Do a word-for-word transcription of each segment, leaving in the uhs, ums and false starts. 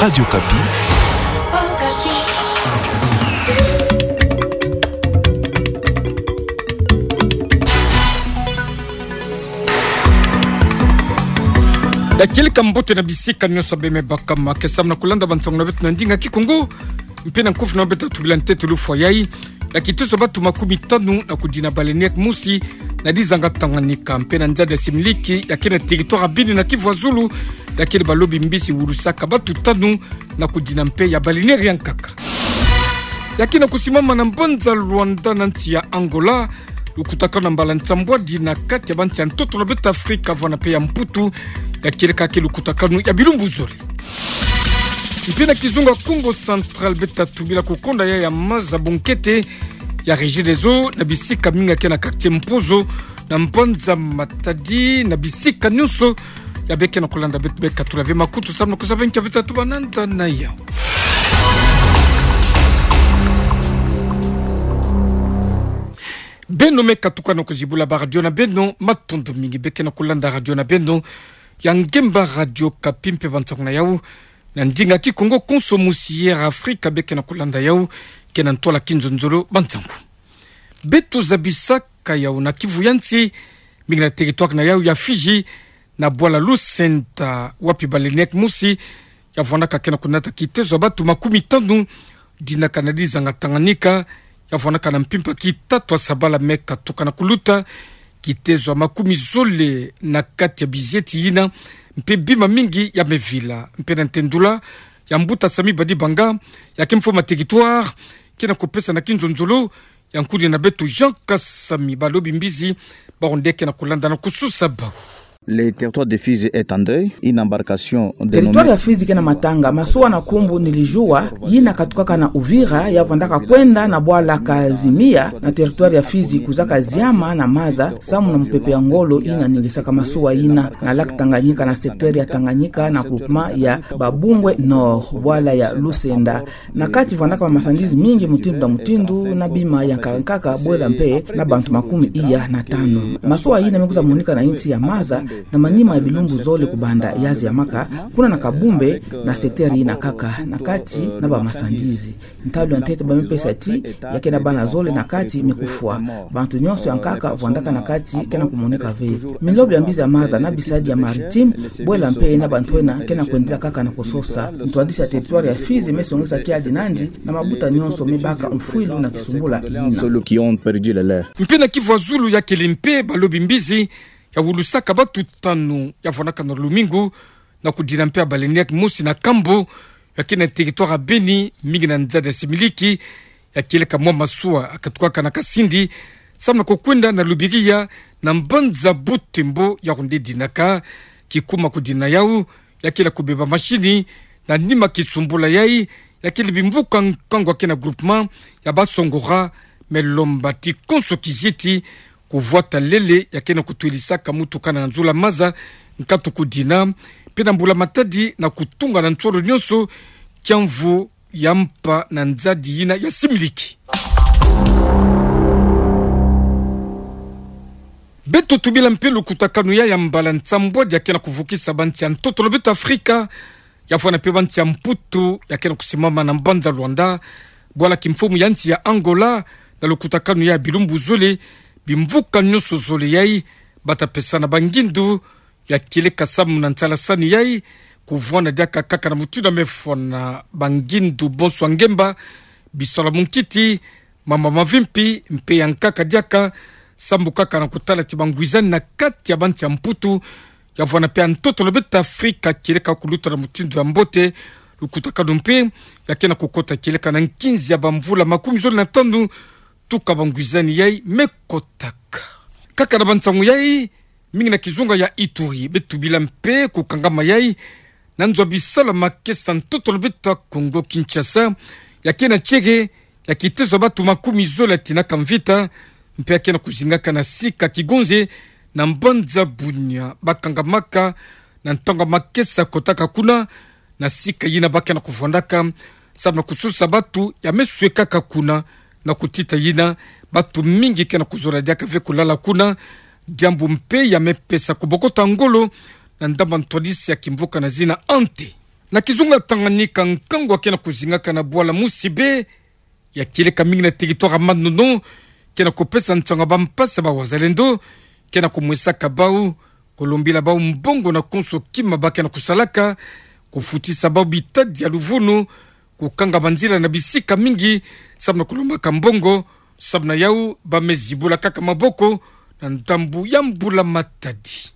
Radio Okapi. Ya kieleka mbote na bisika nyonso beme bakama, ke samu na kulanda bansangu na beto na ndinga Kikongo, mpe na nkufi na beto tubila ntetolo fwa yai, ya kitezo ya batu makumi tanu na kudina balenaire mosi na dizanga Tanganyika, mpe na nzadi ya similiki, ya kena territoire ya Beni na Kivu ya Zulu, ya kele balobi mbizi wulusaka batu tanu na kudina mpe ya balenaire ya nkaka. Ya kena kusimama na mbanza Luanda na nsi ya Angola, lukutakanu ya mbala nsambwadi na kati ya bansi ya ntoto na beto Afrika, vwanda mpe ya Mputu, ya kieleka ke lukutakanu ya bilumbu zole. Mpe na kizunga Kongo Central, beto tubila kukonda ya, ya maza bunkete ya Regideso na bisika mingi, ya kena quartier Mpozo, na mbanza Matadi, na bisika nyonso ya beke na kulanda beto, beka tula ve makutu samu na kuzaba nkia beto tubananda na yau. Beno me katuka na kuzibula ba radio na beno, matondo mingi. Beke na kulanda radio na beno ya ngemba Radio Okapi mpe bansangu na yau na ndinga Kikongo konso musi ya Afrika, beke na kulanda yau ke na ntwala kinzonzolo bansangu. Beto zabisaka yau na Kivu ya nsi, mingi na territoire na yau ya Fidji, na bwala Lusenda, wapi balenaire mosi ya vwandaka ke na kunata kitezo ya batu makumi tanu, dinaka na dizanga Tanganyika, ya vwandaka na mpimpa kitatu ya sabala me katuka na kuluta, kitezo ya makumi zole na kati ya bizieti yina, mpe bima mingi ya me vila. Mpe na ntendula ya mbuta Samy Badibanga, ya ke mfumu ya territoire, ke na kupesa na kinzonzolo ya nkudi na beto Jean Kasami, balobi mbizi bawu nde ke na kulanda na kususa bawu. Le territoire de Fizi est en deuil. Une embarcation dénommée... Territoire ya Fizi ke na matanga. Masuwa na nkumbu Nilijua, yina katukaka na Uvira, ya vwandaka kwenda na bwala Kazimia, na territoire ya Fizi, kuzaka ziama na maza, samu na mupepe ya ngolo yina ningisaka masuwa yina, na lac Tanganyika, na secteur ya Tanganyika, na groupement ya Babungwe Nord, bwala ya Lusenda. Na kati vwandaka ba marchandises mingi mutindu na mutindu, na bima ya nkaka nkaka, bwela mpe na bantu makumi iya na tanu. Masuwa yina me kwiza monika na nsi ya maza, na manima ya bilumbu zole kubanda ya ziamaka, kuna na Kabumbe, na secteur yina kaka, na kati na ba marchandises. Ntalu ya ntete ba me pesa ti, ya ke na bana zole na kati me kufwa. Bantu nyonso ya nkaka vwandaka na kati ke na kumonika ve. Minlobi ya mbizi ya maza na bisadi ya maritime, bwela mpe na bantu ena ke na kwendela kaka na kusosa. Ntwadisi ya territoire ya Fizi me songesa kiadi nandi, na mabuta nyonso me baka mfwilu na kisumbula yina. Ceux qui ont perdu le leur. Mpe na Kivu ya Zulu ya kele mpe balobi mbizi ya wulusaka batu tanu ya vwandaka na lumingu na kudina mpe ya balenaire mosi na Kambo, ya ke na territoire ya Beni, mingi na nzadi ya similiki, ya kieleka mwa masuwa katukaka na Kasindi samu na kukwenda na Lubiriha, na mbanza Butembo, yawu nde dinaka. Kikuma kudina yawu, ya kele kubeba mashini, na nima kisumbula yai, ya kele bimvuka nkangu ya ke na groupement ya Basongora, me lomba ti konso kizieti kuvwata lele ya ke na kutwilisaka mutuka na nzula maza, nkatu kudina, mpe na mbula-matadi na kutunga na nsolo nyonso kiamvu ya mpa na nzadi yina ya similiki. Beto tubila mpe lukutakanu ya, ya mbala nsambwadi ya ke na kuvukisa bansi ya ntoto na beto Afrika, ya vwanda mpe bansi ya Mputu, ya ke na kusimama na mbanza Luanda, bwala kimfumu ya nsi ya Angola, na lukutakanu ya bilumbu zole, bimvuka nyonso zole yai, bata pesana bangindu, ya kieleka samu na nsalasani yai, kuvwanda diaka kaka na mutindu ya me fwana bangindu bonso ya ngemba, bisalu ya munkiti, mamba mavimpi, mpe ya nkaka diaka, samu kaka na kutala ti bangwizani na kati ya bansi ya Mputu, ya vwanda mpe ya ntoto na beto Afrika, kieleka kuluta na mutindu ya mbote. Lukutakanu mpe ya ke na kukota kieleka na nkinzi ya bamvula makumi zole na tanu, tuka bangwizani yai me kotaka. Kaka na bansangu yai, mingi na kizunga ya Ituri, beto tubila mpe kukangama yai na nzo ya bisalu ya makesa ntoto na beto Kongo Kinshasa, ya ke na tieke ya kitezo ya batu makumi zole ya tinaka mvita, mpe ya ke na kuzingaka na sika Kigonze, na mbanza Bunia, bakangamaka na ntangu ya makesa kotaka kuna, na sika yina ba ke na kuvwandaka, samu na kusosa batu ya me swekaka kuna, na kutita yina, batu mingi ke na kuzola diaka ve kulala kuna, diambu mpe ya me pesa kubokota ngolo na ndambu ya ntwadisi ya kimvuka na zina Ante. Na kizunga Tanganyika, nkangu akena kuzingaka na bwala mosi bê, ya kieleka mingi na territoire ya Manono, kena kupesa nsangu ya bampasi ya bawazalendo, kena kumwesaka bau, kulombila bau mbongo na konso kima bakena kusalaka, kufutisa bau bitadi ya luvunu, kukanga banzila na bisika mingi, samu na kulombaka mbongo, samu na yau bamezibula kaka maboko na ndambu ya mbula matadi.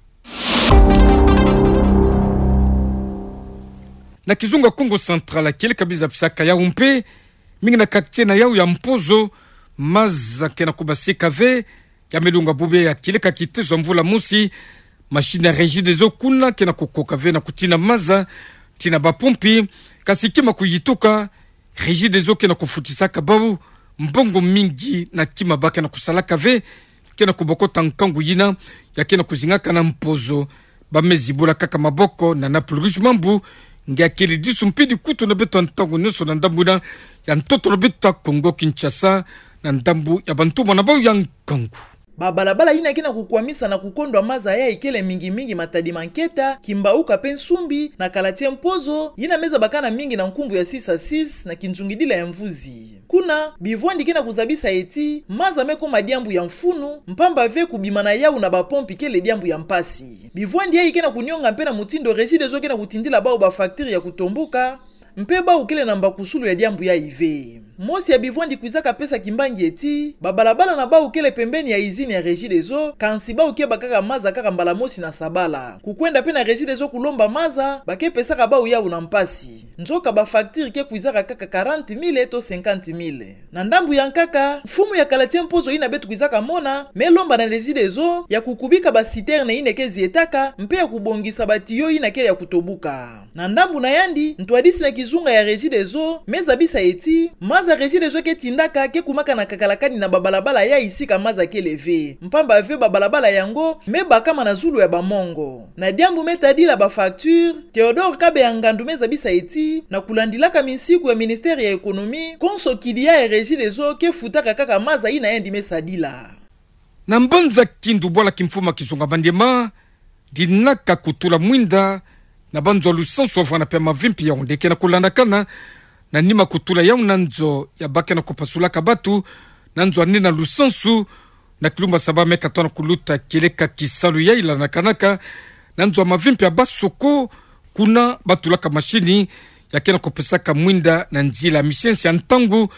Na kizunga Kongo Central, kieleka biza bisaka yau mpe, mingi na quartier na yau ya Mpozo, maza kena kubasika ve, ya melunga bubê ya kieleka kitezo ya mvula mosi, machine ya Regideso kuna kena kukoka ve na kutina maza, tina bapompi, kasi kima kuyituka, Regideso kena kufutisaka bau mbongo mingi na kima bakena kusalaka ve, kena kubokota nkangu yina, ya kena kuzingaka na Mpozo, bamezibula kaka maboko na Naples Rouge mambu, nge ya kele disu mpe dikutu na beto ntangu nyonso na ndambu yina ya ntoto na beto Kongo Kinshasa, na ndambu ya bantumwa na bau ya nkangu. Babalabala yina kena kukwamisa na kukondwa maza yai kele mingi mingi Matadi Manketa, Kimbauka mpe Nsumbi, na quartier Mpozo, yina meza bakana mingi na nkumbu ya six à six na kinzungidila ya Mvuzi. Kuna, bivwandi kena kuzabisa ti, maza mekoma diambu ya mfunu, mpamba ve kubima na yau na bapompi kele diambu ya mpasi. Bivwandi yai kena kunionga mpe na mutindu Regideso kena kutindila bau bafacture ya kutomboka, mpe bau kele na mbakusulu ya diambu yai ve. Mosi ya bivwandi kwizaka pesa kimbangi ti, babalabala na bau kele pembeni ya izini ya Regideso, kansi bau kebaka kaka maza kaka mbala mosi na sabala. Kukwenda mpe na Regideso kulomba maza, bakepesaka bau yau na mpasi. Nzoka bafacture ke kwizaka kaka quarante mille to cinquante mille. Na ndambu ya nkaka, mfumu ya quartier Mpozo yina beto kwizaka mona, melomba na Regideso ya kukubika baciterne yina ke zietaka, mpe ya kubongisa batiyo yina kele ya kutobuka. Na ndambu na yandi, ntwadisi na kizunga ya Regideso mezabisa ti, maza Regideso ke tindaka ke kumaka na kakalakani na babalabala yai sika maza kele ve. Mpamba ve babalabala yango mebakama na zulu ya bamongo. Na diambu metadila bafacture, Theodore Kabeya Ngandu mezabisa ti, na kulandilaka minsiku ya ministère ya économie, konso kidi ya Regideso ke futaka kaka maza yina yandi mesadila. Na mbanza Kindu, bwala kimfumu ya kizunga Maniema, dinaka kutula mwinda na banzo ya lusansu wavwanda mpe mavimpi ya onde kena kulandakana, na nima kutula yau na nzo ya bakena kupasulaka batu, na nzo ya nina lusansu, na kilumbu ya saba meka tona kuluta kieleka kisalu yai landakanaka, na nzo ya mavimpi ya Basoko, kuna batulaka mashini ya kena kupesaka mwinda na nzila ya misiensi ya ntangu,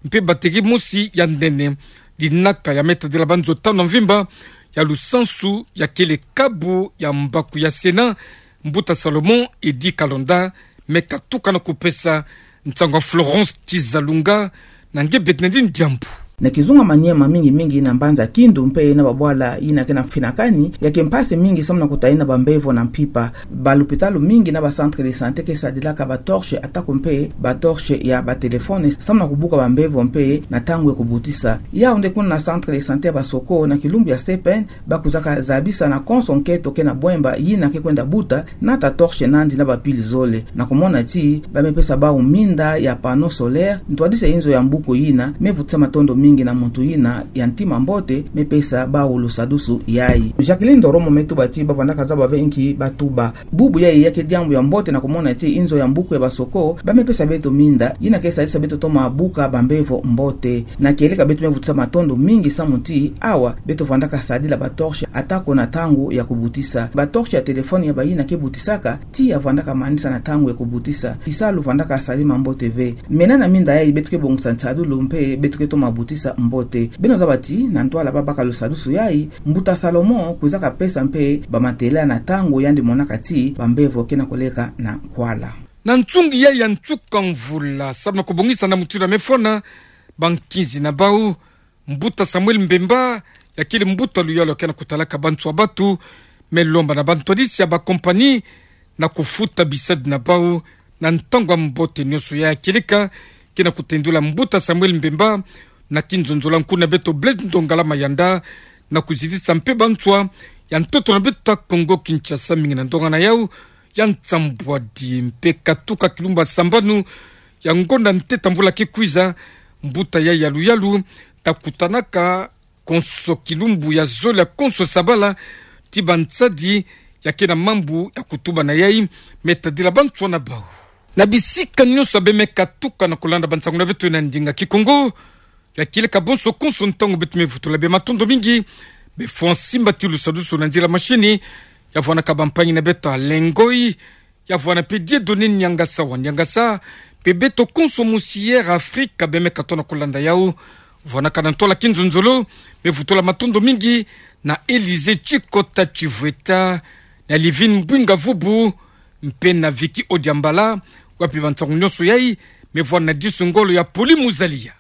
mpe bateri mosi ya nene. Dinaka ya metadila banzo tanu ya mvimba ya lusansu ya kele kabu ya mbaku ya Sénat, Mbuta Salomon Eddy Kalonda meka tuka na kupesa nsangu ya Florence Kizalunga, na nge Bernardine Diambu. Na kizunga Maniema, mingi mingi na mbanza Kindu mpe na babwala yina kena finakani, ya ke mpasi mingi samu na kutayina bambevo na mpimpa. Balupitalu mingi na bacentre de santé ke sadilaka batorche atako mpe batorche ya batelefone samu na kubuka bambevo mpe na ntangu ya kubutisa. Yau nde kuna na centre de santé ya Basoko na kilumbu ya C P N, bakwizaka zabisa na konso nkento kena bwemba yina ke kwenda buta, nata torche nandi na bapile zole. Na kumona ti, bamepesa bau minda ya panneau solaire, ntwadisi ya inzo ya mbuku yina, mevutisa matondo mingi na muntu yina ya ntima mbote, mepesa bau lusadusu yai. Jacqueline Ndoromo metuba ti, bavwandaka zaba ve nki batuba. Bubu yai ya ke diambu ya mbote na kumona ti inzo ya mbuku ya Basoko, bamepesa beto minda, yina ke sadisa beto toma buka bambevo mbote. Na kieleka beto mevutisa matondo mingi samu ti, awa, beto vwandaka sadila batorche atako na ntangu ya kubutisa. Batorche ya telefone ya bayina ke butisaka, tiya vwandaka manisa na ntangu ya kubutisa. Kisalu vwandaka salama mbote ve. Mena na minda yai beto ke bongisa nsadulu mpe beto ke toma butisa mbote. Beno zaba ti, na ntwala babaka lusadusu yai, Mbuta Salomon kwizaka pesa mpe bamatela na ntangu yandi monaka ti bambevo kena koleka na nkwala. Na nsungi yai ya nsuka mvula, samu na kubongisa na mutindu mefona bankinzi na bau, Mbuta Samuel Mbemba, ya kele mbuta luyalu kena kutalaka bantu ya batu, melomba na bantwadisi ya bakompani na kufuta bisadi na bau na ntangu ya mbote nyonso. Ya kieleka kena kutendula Mbuta Samuel Mbemba na kinzonzolo ya nkuna beto Blaise Ndongala Mayanda, na kuzitisa mpe bantu ya ntoto na beto Kongo Kinshasa mingi na ndonga na yau ya nsambwadi. Mpe katuka kilumbu ya sambanu ya ngonda ntete mvula ke kwiza, mbuta yai ya luyalu takutanaka konso kilumbu ya zole ya konso sabala, ti bansadi ya kena mambu ya kutuba na yai metadila bantu na bau. Na bisika nyonso bemeka tuka na kulanda bansangu na beto na ndinga Kikongo, ya kile ka bonso konso ntangu beto me vutula bima matondo mingi, befo nsimbatilu sadusu na nzila mashini, ya vwanaka bampangi na beto Alengoi, ya vwana pe Dieudonné Niangasa wa Niangasa, pe beto konso mosi Air Afrique bemeka tona kulanda yau. Vwanaka na ntwala kinzonzolo, me vutula matondo mingi na Élysée Tshikota Tshivweta, na Livine Mbwinga Vubu, mpe na Vicky Odiambala, wapi bansangu nyonso yai me vwana disu ngolo ya Poli Muzalia.